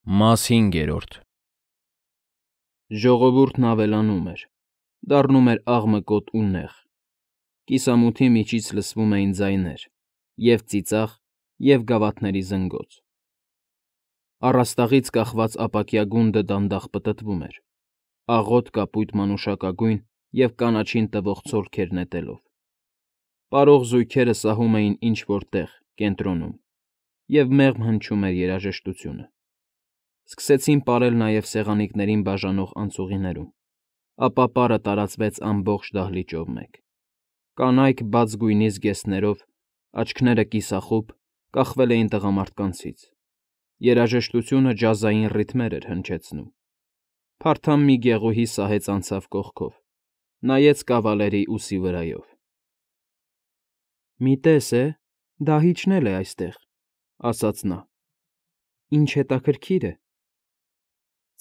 Մաս 5. Ժողովուրդն ավելանում էր, դառնում էր աղմկոտ ու նեղ, կիսամութի միջից լսվում էին ձայներ, և՛ ծիծաղ, և՛ գավաթների զնգոց. առաստաղից կախված ապակյա գունդը դանդաղ պտտվում էր, աղոտ կապույտ մանուշակագույն և կանաչին տվող ցոլքեր նետելով, պարող զույգերը սահում էին ինչ֊որ տեղ, կենտրոնում, և մեղմ հնչում էր երաժշտությունը. սկսեցին պարել նաև սեղանիկներին բաժանող անցուղիներում, ապա պարը տարածվեց ամբողջ դահլիճով մեկ. կանայք բաց գույնի զգեստներով, աչքերը կիսախուբ, կախվել էին տղամարդկանցից, երաժշտությունը ջազային ռիթմեր էր հնչեցնում. փարթամ մի գեղուհի սահեց անցավ կողքով, նայեց կավալերի ուսի վրայով. «Մի տես է, դահիճն էլ է այստեղ», ասաց նա. «Ինչ հետաքրքիր է»։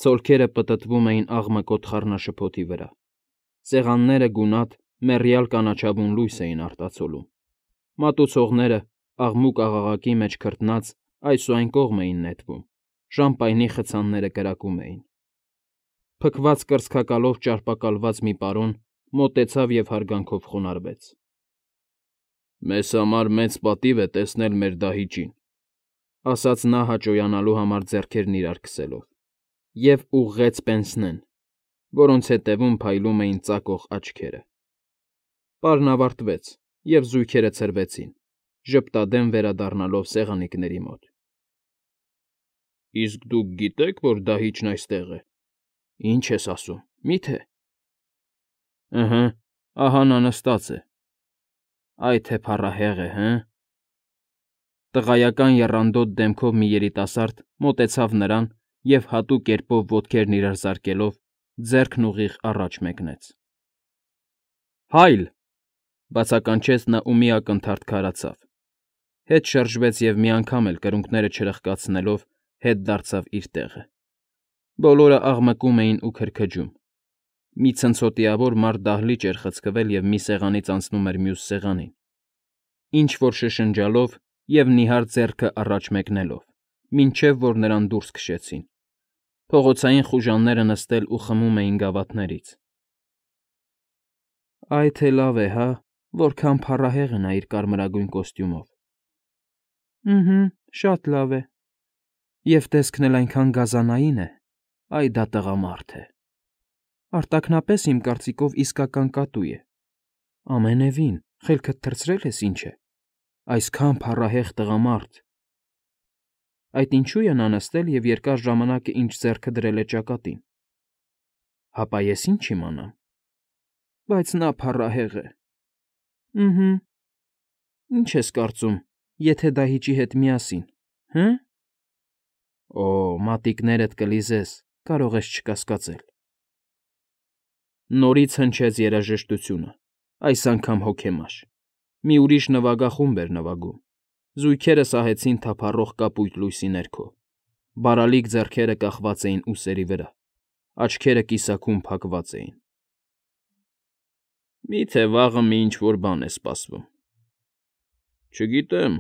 Ցոլքերը պտտվում էին աղմկոտ խառնաշփոթի վրա, սեղանները գունատ, մեռյալ կանաչավուն լույս էին արտացոլում, մատուցողները, աղմուկ֊աղաղակի մեջ քրտնած, այս ու այն կողմ էին նետվում, շամպայնի խցանները կրակում էին. փքված կրծքակալով ճարպակալված մի պարոն մոտեցավ և հարգանքով խոնարհվեց. «Մեզ համար մեծ պատիվ է տեսնել մեր դահիճին», ասաց նա հաճոյանալու համար ձեռքերն իրար քսելով, և ուղղեց պենսնեն, որոնց ետևում փայլում էին ծակող աչքերը. պարն ավարտվեց, և զույգերը ցրվեցին, ժպտադեմ վերադառնալով սեղանիկների մոտ։ «Իսկ դուք գիտե՞ք, որ դահիճն այստեղ է»։ «Ինչ ես ասում, մի՞թե»։ «Ըհը, ահա նա նստած է»։ «Այ թե փառահեղ է, հը»։ Տղայական եռանդոտ դեմքով մի երիտասարդ մոտեցավ նրան և հատուկ կերպով ոտքերն իրար զարկելով, ձեռքն ուղիղ առաջ մեկնեց։ «Հայլ», բացականչեց նա ու մի ակնթարթ քարացավ, հետ շրջվեց և մի անգամ էլ կրունկները չրխկացնելով հետ դարձավ իր տեղը։ Բոլորը աղմկում էին ու քրքջում. մի ցնցոտիավոր մարդ դահլիճ էր խցկվել և մի սեղանից անցնում էր մյուս սեղանին, ինչ֊որ շշնջալով և նիհար ձեռքը առաջ մեկնելով, մինչև որ նրան դուրս քշեցին, փողոցային խուժանները նստել ու խմում էին գավաթներից։ «Այ թե լավ է, հա, որքան փառահեղ է նա իր կարմրագույն կոստյումով»։ «Ըհը, շատ լավ է։ Եվ տեսքն էլ այնքան գազանային է, այ դա տղամարդ է։ Արտաքնապես, իմ կարծիքով, իսկական կատու է։ Ամենևին, խելքդ թռցրել ես, ինչ է, այսքան փառահեղ տղամարդ։ Այդ ինչո՞ւ է նա նստել և երկար ժամանակ է ինչ ձեռքը դրել է ճակատին։ Հապա ես ինչ իմանամ։ Բայց նա փառահեղ է։ Ըհը։ Ինչ ես կարծում, եթե դահիճի հետ միասին, հը՞։ Օ, մատիկներդ կլիզես, կարող ես չկասկածել»։ Նորից հնչեց երաժշտությունը, այս անգամ հոգեմաշ, մի ուրիշ նվագախումբ էր նվագում, զույգերը սահեցին թափառող կապույտ լույսի ներքո, բարալիկ ձեռքերը կախված էին ուսերի վրա, աչքերը կիսաքուն փակված էին։ «Մի՞թե վաղը մի ինչ֊որ բան է սպասվում»։ «Չգիտեմ,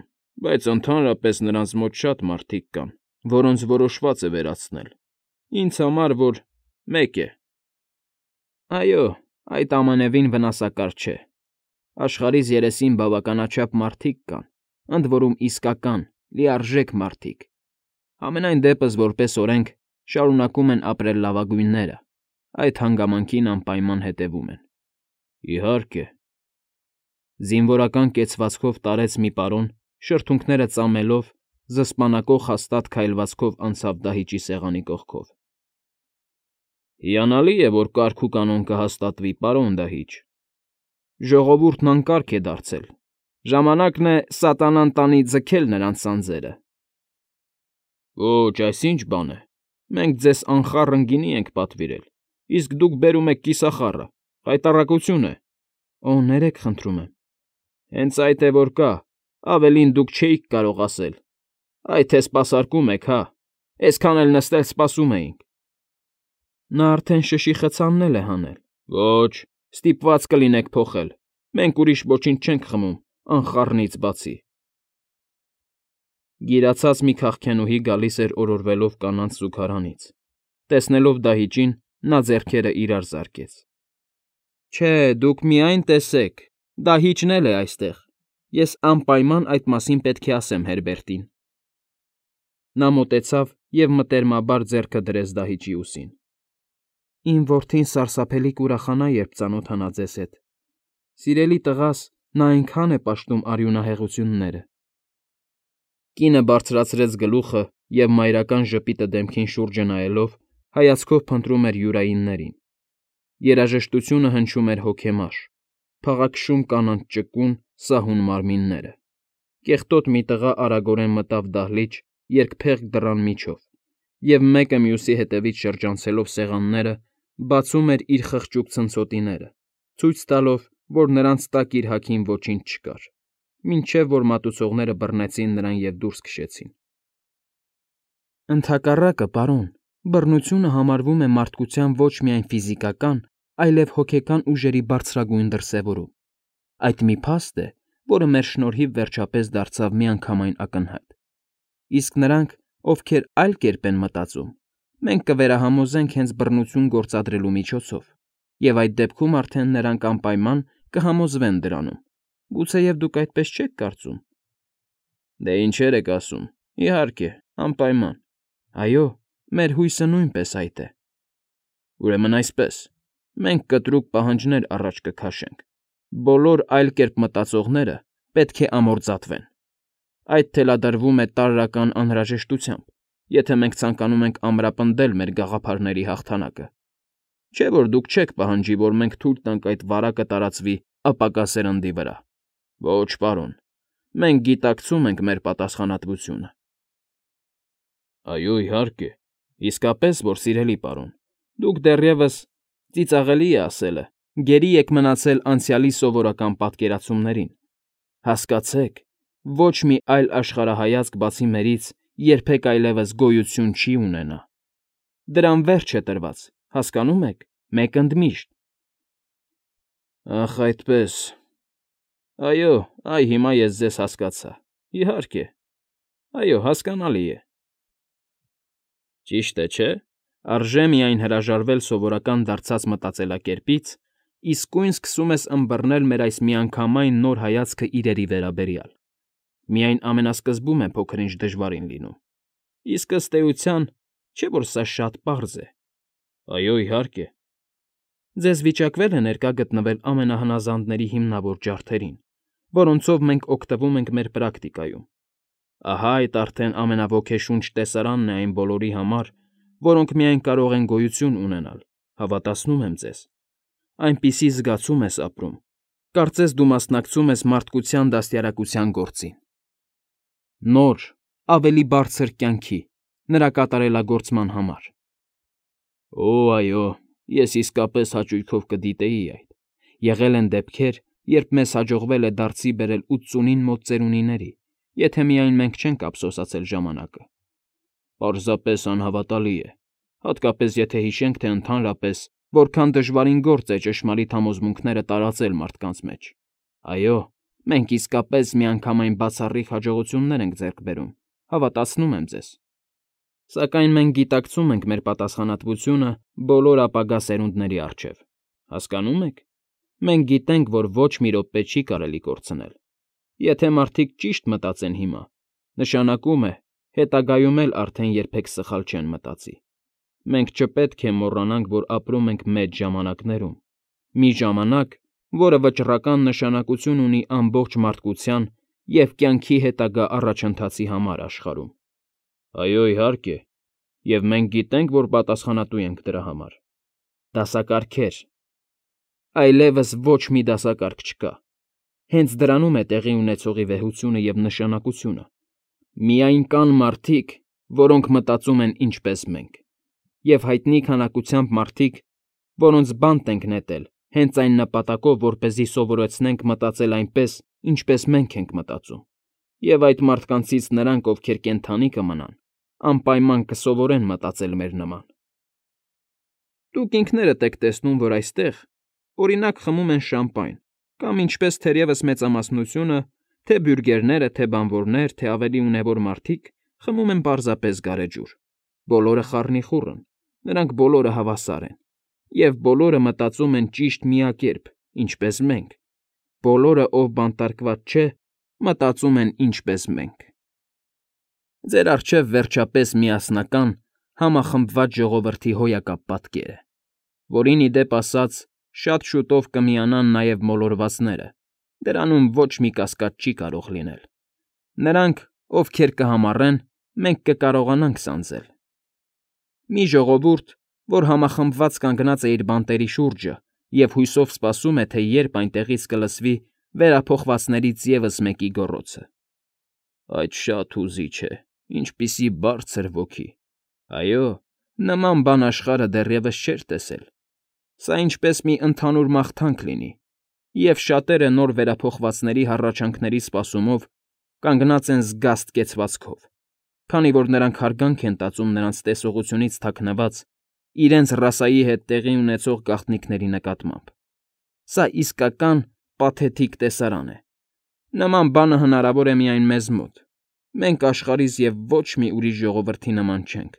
բայց ընդհանրապես նրանց մոտ շատ մարդիկ կան, որոնց որոշված է վերացնել, ինձ համար որ մեկ է»։ «Այո, այդ ամենևին վնասակար չէ։ Աշխարհիս երեսին բավականաչափ մարդիկ կան, ընդ որում իսկական, լիարժեք մարդիկ, համենայն դեպս որպես օրենք, շարունակում են ապրել լավագույնները, այդ հանգամանքին անպայման հետևում են»։ «Իհարկե», զինվորական կեցվածքով տարեց մի պարոն, շրթունքները ծամելով, զսպանակող հաստատ քայլվածքով անցավ դահիճի սեղանի կողքով։ «Հիանալի է, որ կարգ ու կանոն կհաստատվի, պարոն դահիճ։ Ժողովուրդն անկարգ է դարձել, ժամանակն է սատանան տանի ձգել նրանց սանձերը»։ «Ոչ, այս ի՞նչ բան է, մենք ձեզ անխառն գինի ենք պատվիրել, իսկ դուք բերում եք կիսախառը, խայտառակություն է»։ «Օ, ներեք, խնդրում եմ»։ «Հենց այդ է որ կա, ավելին դուք չէիք կարող ասել։ Այ թե սպասարկում եք, հա, էսքան էլ նստել սպասում էինք»։ «Նա արդեն շշի խցանն է հանել»։ «Ոչ, ստիպված կլինեք փոխել, մենք ուրիշ ոչինչ չենք խմում անխառնից բացի»։ Գիրացած մի քաղքենուհի գալիս էր օրորվելով կանանց զուգարանից։ Տեսնելով դահիճին, նա ձեռքերը իրար զարկեց։ Չէ, դուք միայն տեսեք, դահիճն էլ է այստեղ։ Ես անպայման այդ մասին պետք է ասեմ Հերբերտին։ Նա մոտեցավ և մտերմաբար ձեռքը դրեց դահիճի ուսին։ Իմ որդին սարսափելի կուրախանա, երբ ծանոթանա ձեզ հետ։ Սիրելի տղաս, նա այնքան է պաշտում արյունահեղությունները։ Կինը բարձրացրեց գլուխը և մայրական ժպիտը դեմքին շուրջը նայելով հայացքով փնտրում էր յուրայիններին։ Երաժշտությունը հնչում էր հոգեմար, փաղաքշում կանանց ճկուն, սահուն մարմինները։ Կեղտոտ մի տղա արագորեն մտավ դահլիճ երկփեղկ դռան միջով և մեկը մյուսի հետևից շրջանցելով սեղանները բացում էր իր խղճուկ ցնցոտիները, ցույց տալով, որ նրանց տակ իր հագին ոչինչ չկար, մինչև որ մատուցողները բռնեցին նրան և դուրս քշեցին։ Ընդհակառակը, պարոն, բռնությունը համարվում է մարդկության ոչ միայն ֆիզիկական, այլև հոգեկան ուժերի բարձրագույն դրսևորում։ Այդ մի փաստ է, որը մեր շնորհիվ վերջապես դարձավ միանգամայն ակնհայտ։ Իսկ նրանք, ովքեր այլ կերպ են մտածում, մենք կվերահամոզենք հենց բռնություն գործադրելու միջոցով, և այդ դեպքում արդեն նրանք անպայման կհամոզվեն դրանում։ Գուցեև դուք այդպես չեք կարծում։ Դե ինչեր եք ասում։ Իհարկե, անպայման։ Այո, մեր հույսը նույնպես այդ է։ Ուրեմն այսպես, մենք կտրուկ պահանջներ առաջ կքաշենք։ Բոլոր այլ կերպ մտածողները պետք է ամորձատվեն։ Այդ թելադրվում է տարրական անհրաժեշտությամբ, եթե մենք ցանկանում ենք ամրապնդել մեր գաղափարների հաղթանակը։ Չէ՞ որ դուք չեք պահանջի, որ մենք թույլ տանք այդ վարակը տարածվի ապակա սերնդի վրա։ Ոչ, պարոն, մենք գիտակցում ենք մեր պատասխանատվությունը։ Այո, իհարկե, իսկապես որ սիրելի պարոն, դուք դեռևս, ծիծաղելի է ասելը, գերի եք մնացել անցյալի սովորական պատկերացումներին։ Հասկացեք, ոչ մի այլ աշխարհայացք բացի մերից երբեք այլևս գոյություն չի ունենա։ Դրան վերջ է տրված, հասկանում եք, մեկ ընդմիշտ։ Ախ, այդպես։ Այո, այ հիմա ես ձեզ հասկացա։ Իհարկե։ Այո, հասկանալի է։ Ճիշտ է, չէ՞։ Արժե միայն հրաժարվել սովորական դարձած մտածելակերպից, իսկույն սկսում ես ըմբռնել մեր այս միանգամայն նոր հայացքը իրերի վերաբերյալ։ Միայն ամենասկզբում է փոքր-ինչ դժվարին լինում։ Իսկ ըստ էության, չէ՞ որ սա շատ պարզ է։ Այո, իհարկե։ Ձեզ վիճակվել է ներկա գտնվել ամենահնազանդների հիմնավոր ջարդերին, որոնցով մենք օգտվում ենք մեր պրակտիկայում։ Ահա այդ արդեն ամենաոգեշունչ տեսարանն է այն բոլորի համար, որոնք միայն կարող են գոյություն ունենալ, հավատացնում եմ ձեզ։ Այնպիսի զգացում ես ապրում, կարծես դու մասնակցում ես մարդկության դաստիարակության գործին։ Նոր, ավելի բարձր կյանքի, նրա կատարելագործման համար։ Օ, այո, ես իսկապես հաճույքով կդիտեի այդ։ Եղել են դեպքեր, երբ մեզ հաջողվել է դարձի բերել 80-ին մոտ ծերունիների, եթե միայն մենք չենք ափսոսացել ժամանակը։ Պարզապես անհավատալի է, հատկապես եթե հիշենք, թե ընդհանրապես որքան դժվարին գործ է ճշմարիտ համոզմունքները տարածել մարդկանց մեջ։ Այո, մենք իսկապես միանգամայն բացառիկ հաջողություններ ենք ձեռք բերում, հավատացնում եմ ձեզ։ Սակայն մենք գիտակցում ենք մեր պատասխանատվությունը բոլոր ապագա սերունդների առջև։ Հասկանո՞ւմ եք։ Մենք գիտենք, որ ոչ մի րոպե չի կարելի կորցնել։ Եթե մարդիկ ճիշտ մտածեն հիմա, նշանակում է, հետագայում էլ արդեն երբեք սխալ չեն մտածի։ Մենք չպետք է մոռանանք, որ ապրում ենք մեծ ժամանակներում։ Մի ժամանակ, որը վճռական նշանակություն ունի ամբողջ մարդկության և կյանքի հետագա առաջընթացի համար աշխարհում։ Այո, իհարկե, և մենք գիտենք, որ պատասխանատու ենք դրա համար։ Դասակարգեր։ Այլևս ոչ մի դասակարգ չկա։ Հենց դրանում է տեղի ունեցողի վեհությունը և նշանակությունը։ Միայն կան մարդիկ, որոնք մտածում են ինչպես մենք, և հայտնի քանակությամբ մարդիկ, որոնց բանտ ենք նետել հենց այն նպատակով, որպեսզի սովորեցնենք մտածել այնպես, ինչպես մենք ենք մտածում, և այդ մարդկանցից նրանք, ովքեր կենդանի կմնան, անպայման կսովորեն մտածել մեր նման։ Դուք ինքներդ եք տեսնում, որ այստեղ, օրինակ, խմում են շամպայն, կամ, ինչպես թերևս մեծամասնությունը, Թե բյուրգերները, թե բանվորներ, թե ավելի ունևոր մարդիկ խմում են պարզապես գարեջուր։ Բոլորը խառնիխուռ են, նրանք բոլորը հավասար են, և բոլորը մտածում են ճիշտ միակերպ, ինչպես մենք։ Բոլորը, ով բանտարկված չէ, մտածում են ինչպես մենք։ Ձեր առջև վերջապես միասնական, համախմբված ժողովրդի հոյակապ պատկեր է, որին ի դեպ ասած շատ շուտով կմիանան նաև մոլորվածները, դրանում ոչ մի կասկած չի կարող լինել։ Նրանք, ովքեր կհամառեն, մենք կկարողանանք սանձել։ Մի ժողովուրդ, որ համախմբված կանգնած է իր բանտերի շուրջը և հույսով սպասում է, թե երբ այնտեղից կլսվի վերափոխվածներից ևս մեկի գոռոցը։ Այդ շատ հուզիչ է, ինչպիսի բարձր ոգի։ Այո, նման բան աշխարհը դեռևս չէր տեսել։ Սա ինչպես մի ընդհանուր մաղթանք լինի, և շատերը նոր վերափոխվածների հառաչանքների սպասումով կանգնած են զգաստ կեցվածքով, քանի որ նրանք հարգանք են տածում նրանց տեսողությունից թաքնված իրենց ռասայի հետ տեղի ունեցող գաղտնիքների նկատմամբ։ Սա իսկական պաթետիկ տեսարան է։ Նման բանը հնարավոր է միայն մեզ մոտ։ Մենք աշխարհիս և ոչ մի ուրիշ ժողովրդի նման չենք,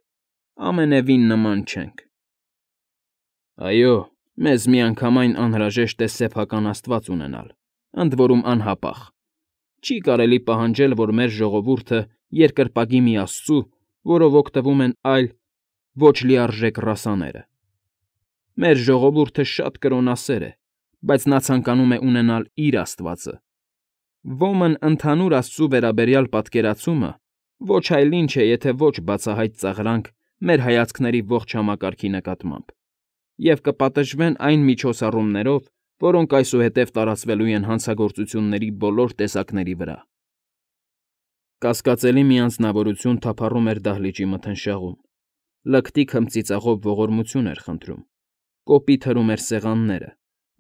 ամենևին նման չենք։ Այո, մեզ միանգամայն անհրաժեշտ է սեփական աստված ունենալ, ընդ որում անհապաղ։ Չի կարելի պահանջել, որ մեր ժողովուրդը երկրպագի մի աստծու, որով օգտվում են այլ ոչ լիարժեք ռասաները։ Մեր ժողովուրդը շատ կրոնասեր է, բայց նա ցանկանում է ունենալ իր աստվածը։ Ոմն ընդհանուր աստծու վերաբերյալ պատկերացումը ոչ այլ ինչ է, եթե ոչ բացահայտ ծաղրանք մեր հայացքների ողջ համակարգի նկատմամբ, և կպատժվեն այն միջոցառումներով, որոնք այսուհետև տարածվելու են հանցագործությունների բոլոր տեսակների վրա։ Կասկածելի մի անձնավորություն թափառում էր դահլիճի մթնշաղում, լկտի քմծիծաղով ողորմություն էր խնդրում, կոպիտ հրում էր սեղանները,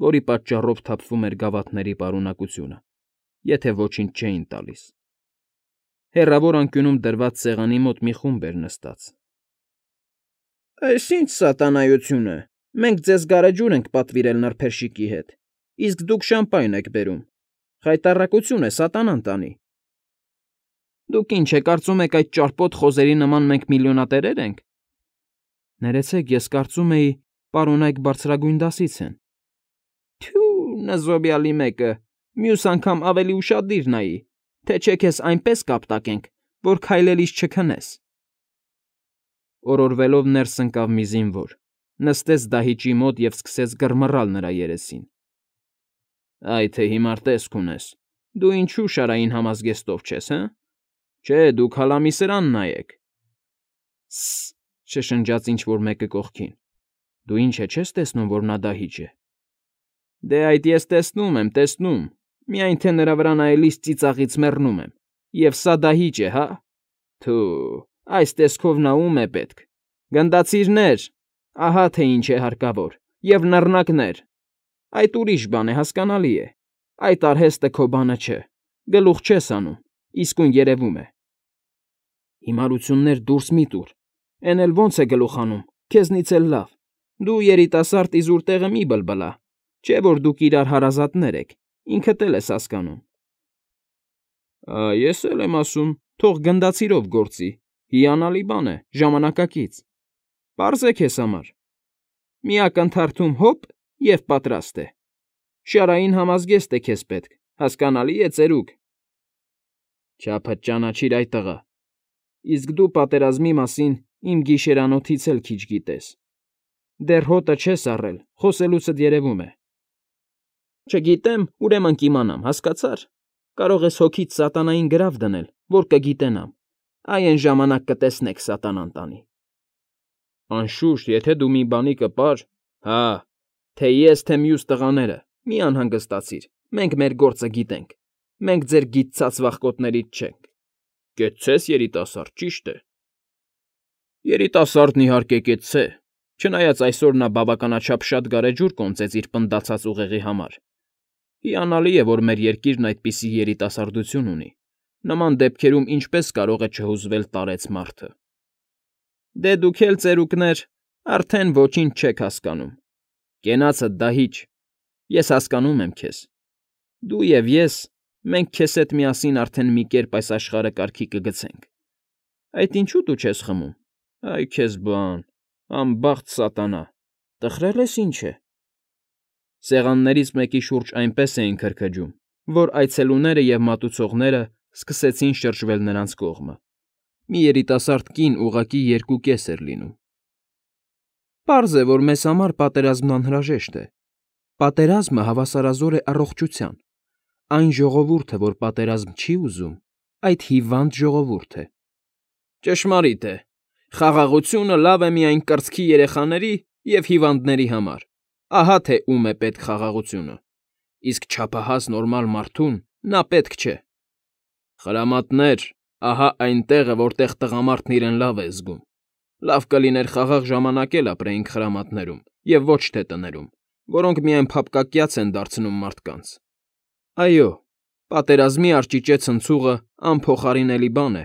որի պատճառով թափվում էր գավաթների պարունակությունը, եթե ոչինչ չէին տալիս։ Հեռավոր անկյունում դրված սեղանի մոտ մի խումբ էր նստած։ «Այս ի՞նչ սատանայություն է, մենք ձեզ գարեջուր ենք պատվիրել նրբերշիկի հետ, իսկ դուք շամպայն եք բերում։ Խայտառակություն է, սատանան տանի»։ Դուք ինչ է կարծում եք այդ ճարպոտ խոզերի նման մենք միլիոնատերեր ենք։ Ներեցեք, ես կարծում էի, պարոն Այք բարձրագույն դասից են։ Թյու, նզոբյալի մեկը, մյուս անգամ ավելի ուշադիր նայի, թե չէ քեզ այնպես կապտակենք, որ քայլելիս չքնես։ Օրորվելով ներս ընկավ մի զինվոր, նստեց դահիճի մոտ և սկսեց գռմռալ նրա երեսին։ Այ թե հիմար տեսք ունես, դու ինչու շարային համազգեստով չես, հը։ Չէ, դուք հալամի սրան նայեք։ Սը՜, շշնջաց ինչ֊որ մեկը կողքին։ Դու ինչ է, չես տեսնում, որ նա դահիճ է։ Դե այդ ես տեսնում եմ, տեսնում, միայն թե նրա վրա նայելիս ծիծաղից մեռնում եմ, և սա դահիճ է, հա։ Թու, այս տեսքով նա ում է պետք։ Գնդացիրներ, ահա թե ինչ է հարկավոր, և նռնակներ։ Այդ ուրիշ բան է, հասկանալի է։ Այդ արհեստը քո բանը չէ, գլուխ չես անում, իսկույն երևում է։ Հիմարություններ դուրս մի՛ տուր, էն էլ ոնց է գլուխ անում, քեզնից էլ լավ։ Դու երիտասարդ իզուր տեղը մի բլբլա, չէ որ դուք իրար հարազատներ եք, ինքդ էլ ես հասկանում։ Ես էլ եմ ասում, թող գնդացիրով գործի, հիանալի բան է, ժամանակակից։ Պարզ է քեզ համար։ Մի ակնթարթում հոպ և պատրաստ է։ Շարային համազգեստ է քեզ պետք, հասկանալի է, ծերուկ։ Չափդ ճանաչիր, այ տղա։ Իսկ դու պատերազմի մասին իմ գիշերանոթից էլ քիչ գիտես։ Դեռ հոտը չես առել, խոսելուցդ երևում է։ Չգիտեմ, ուրեմն կիմանամ, հասկացա՞ր։ Կարող ես հոգիդ սատանային գրավ դնել, որ կգիտենամ։ Այ այն ժամանակ կտեսնեք սատանան տանի։ Անշուշտ, եթե դու մի բանի կպար, հա, թե ես, թե մյուս տղաները, մի անհանգստացիր, մենք մեր գործը գիտենք, մենք ձեր գիթծած վախկոտներից չենք։ Կեցցես, երիտասարդ, ճիշտ է։ Երիտասարդն իհարկե կեցցե, չնայած այսօր նա բավականաչափ շատ գարեջուր կոնծեց իր պնդացած ուղեղի համար։ Հիանալի է, որ մեր երկիրն այդպիսի երիտասարդություն ունի։ Նման դեպքերում ինչպես կարող է չհուզվել տարեց մարդը։ Դե դուք էլ, ծերուկներ, արդեն ոչինչ չեք հասկանում։ Կենացդ դահիճ, ես հասկանում եմ քեզ։ Դու և ես մենք քեզ հետ միասին արդեն մի կերպ այս աշխարհը կարգի կգցենք։ Այդ ինչու դու չես խմում։ Այ քեզ բան, անբախտ սատանա, տխրել ես ինչ է։ Սեղաններից մեկի շուրջ այնպես էին քրքջում, որ այցելուները և մատուցողները սկսեցին շրջվել նրանց կողմը։ Մի երիտասարդ կին ուղղակի երկուկես էր լինում։ Պարզ է, որ մեզ համար պատերազմն անհրաժեշտ է։ Պատերազմը հավասարազոր է առողջության։ Այն ժողովուրդը, որ պատերազմ չի ուզում, այդ հիվանդ ժողովուրդ է։ Ճշմարիտ է։ Խաղաղությունը լավ է միայն կրծքի երեխաների և հիվանդների համար։ Ահա թե ում է պետք խաղաղությունը։ Իսկ չափահաս նորմալ մարդուն նա պետք չէ։ Խրամատներ, ահա այն տեղը, որտեղ տղամարդն իրեն լավ է զգում։ Լավ կլիներ խաղաղ ժամանակ էլ ապրեինք խրամատներում, և ոչ թե տներում, որոնք միայն փափկակյաց են դարձնում մարդկանց։ Այո, պատերազմի արջիճե ցնցուղը անփոխարինելի բան է։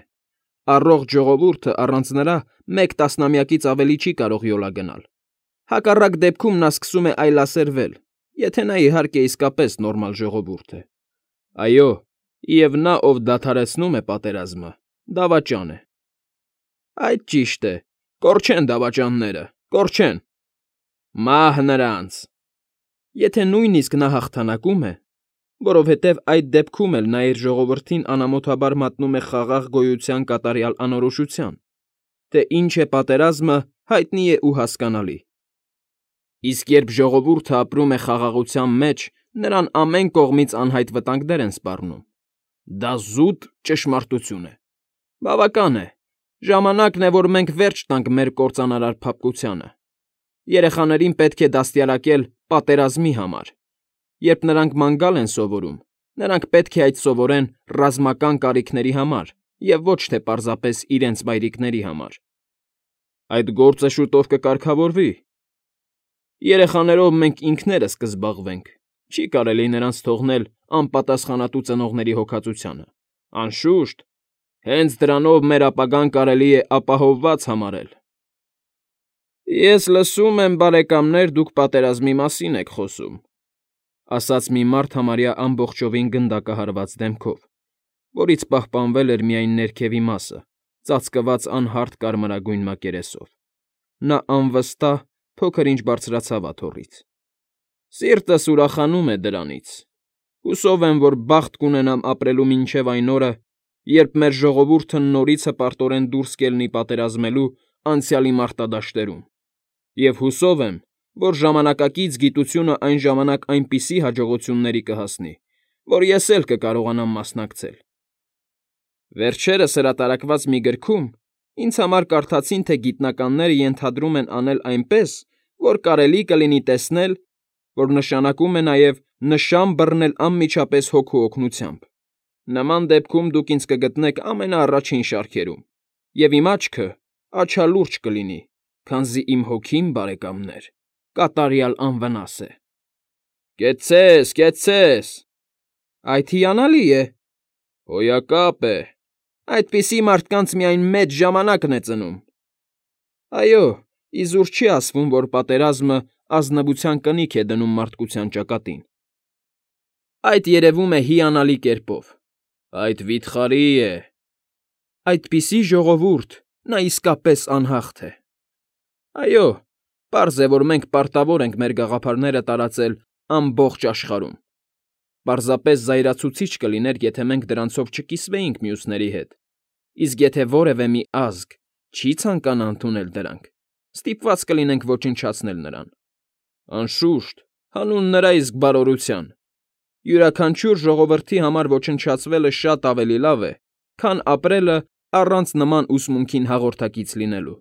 Առողջ ժողովուրդը առանց նրա մեկ տասնամյակից ավելի չի կարող յոլա գնալ։ Հակառակ դեպքում նա սկսում է այլասերվել, եթե նա իհարկե իսկապես նորմալ ժողովուրդ է։ Այո, և նա, ով դադարեցնում է պատերազմը, դավաճան է։ Այդ ճիշտ է, կորչեն դավաճանները, կորչեն։ Մահ նրանց։ Եթե նույնիսկ նա հաղթանակում է, որովհետև այդ դեպքում էլ նա իր ժողովրդին անամոթաբար մատնում է խաղաղ գոյության կատարյալ անորոշության, թե ինչ է պատերազմը, հայտնի է ու հասկանալի։ Իսկ երբ ժողովուրդը ապրում է խաղաղության մեջ, նրան ամեն կողմից անհայտ վտանգներ են սպառնում։ Դա զուտ ճշմարտություն է։ Բավական է։ Ժամանակն է, որ մենք վերջ տանք մեր կործանարար փափկությանը։ Երեխաներին պետք է դաստիարակել պատերազմի համար։ Երբ նրանք ման գալ են սովորում, նրանք պետք է այդ սովորեն ռազմական կարիքների համար և ոչ թե պարզապես իրենց մայրիկների համար։ Այդ գործը շուտով կկարգավորվի։ Երեխաներով մենք ինքներս կզբաղվենք, չի կարելի նրանց թողնել անպատասխանատու ծնողների հոգածությանը։ Անշուշտ, հենց դրանով մեր ապագան կարելի է ապահովված համարել։ Ես լսում եմ, բարեկամներ, դուք պատերազմի մասին եք խոսում, ասաց մի մարդ համարյա ամբողջովին գնդակահարված դեմքով, որից պահպանվել էր միայն ներքևի մասը, ծածկված անհարթ կարմրագույն մակերեսով։ Նա անվստահ փոքր-ինչ բարձրացավ աթոռից։ Սիրտս ուրախանում է դրանից։ Հուսով եմ, որ բախտ կունենամ ապրելու մինչև այն օրը, երբ մեր ժողովուրդը նորից հպարտորեն դուրս կելնի պատերազմելու անցյալի մարտադաշտերում, և հուսով եմ, որ ժամանակակից գիտությունը այն ժամանակ այնպիսի հաջողությունների կհասնի, որ ես էլ կկարողանամ մասնակցել։ Վերջերս հրատարակված մի գրքում ինձ համար կարդացին, թե գիտնականները ենթադրում են անել այնպես, որ կարելի կլինի տեսնել, որ նշանակում է նաև նշան բռնել անմիջապես հոգու օգնությամբ։ Նման դեպքում դուք ինձ կգտնեք ամենաառաջին շարքերում, և իմ աչքը աչալուրջ կլինի, քանզի իմ հոգին, բարեկամներ, կատարյալ անվնաս է։ Կեցցե՛ս, կեցցե՛ս։ Այդ հիանալի է։ Հոյակապ է։ Այդպիսի մարդկանց միայն մեծ ժամանակն է ծնում։ Այո, իզուր չի ասվում, որ պատերազմը ազնվության կնիք է դնում մարդկության ճակատին։ Այդ երևում է հիանալի կերպով։ Այդ վիթխարի է։ Այդպիսի ժողովուրդ, նա իսկապես անհաղթ է։ Այո, պարզ է, որ մենք պարտավոր ենք մեր գաղափարները տարածել ամբողջ աշխարհում։ Պարզապես զայրացուցիչ կլիներ, եթե մենք դրանցով չկիսվեինք մյուսների հետ, իսկ եթե որևէ մի ազգ չի ցանկանա ընդունել դրանք, ստիպված կլինենք ոչնչացնել նրան։ Անշուշտ, հանուն նրա իսկ բարօրության։ Յուրաքանչյուր ժողովրդի համար ոչնչացվելը շատ ավելի լավ է, քան ապրելը առանց նման ուսմունքին հաղորդակից լինելու։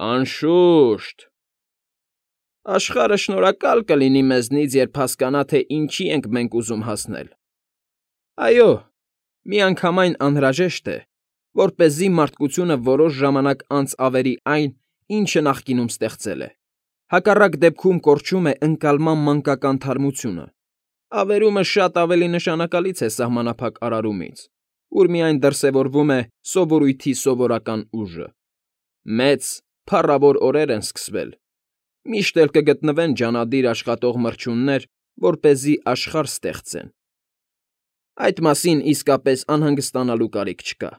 Անշուշտ։ Աշխարհը շնորհակալ կլինի մեզնից, երբ հասկանա, թե ինչի ենք մենք ուզում հասնել։ Այո, միանգամայն անհրաժեշտ է, որպեսզի մարդկությունը որոշ ժամանակ անց ավերի այն, ինչը նախկինում ստեղծել է։ Հակառակ դեպքում կորչում է ընկալման մանկական թարմությունը։ Ավերումը շատ ավելի նշանակալից է սահմանափակ արարումից, ուր միայն դրսևորվում է սովորույթի սովորական ուժը։ Մեծ, փառավոր օրեր են սկսվել։ Միշտ էլ կգտնվեն ջանադիր աշխատող մրջյուններ, որպեսզի աշխարհ ստեղծեն։ Այդ մասին իսկապես անհանգստանալու կարիք չկա։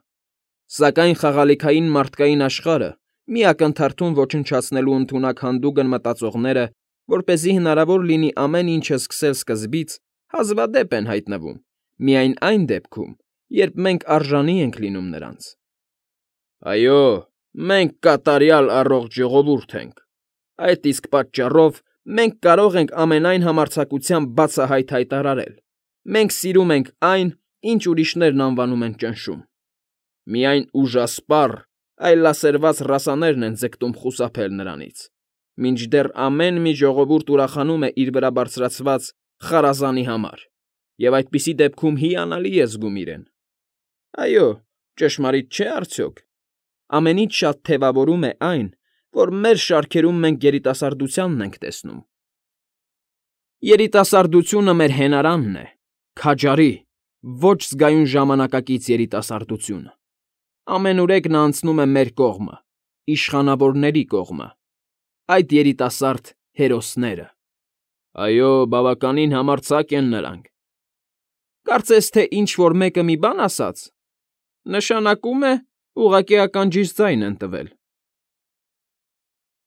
Սակայն խաղալիքային մարդկային աշխարհը մի ակնթարթում ոչնչացնելու ընդունակ հանդուգն մտածողները, որպեսզի հնարավոր լինի ամեն ինչը սկսել սկզբից, հազվադեպ են հայտնվում միայն այն դեպքում, երբ մենք արժանի ենք լինում նրանց։ Այո, մենք կատարյալ առողջ ժողովուրդ ենք։ Այդ իսկ պատճառով մենք կարող ենք ամենայն համարձակությամբ բացահայտ հայտարարել. մենք սիրում ենք այն, ինչ ուրիշներն անվանում են ճնշում։ Միայն ուժասպառ, այլասերված ռասաներն են ձգտում խուսափել նրանից, մինչդեռ ամեն մի ժողովուրդ ուրախանում է իր վրա բարձրացված խարազանի համար, և այդպիսի դեպքում հիանալի է զգում իրեն։ Այո, ճշմարիտ չէ՞ արդյոք։ Ամենից շատ թևավորում է այն, որ մեր շարքերում մենք երիտասարդությանն ենք տեսնում։ Երիտասարդությունը մեր հենարանն է, քաջարի, ոչ զգայուն ժամանակակից երիտասարդությունը։ Ամենուրեք նա անցնում է մեր կողմը, իշխանավորների կողմը, այդ երիտասարդ հերոսները։ Այո, բավականին համարձակ են նրանք։ Կարծես թե ինչ֊որ մեկը մի բան ասաց, նշանակում է ուղղակի ականջիս ձայն են տվել։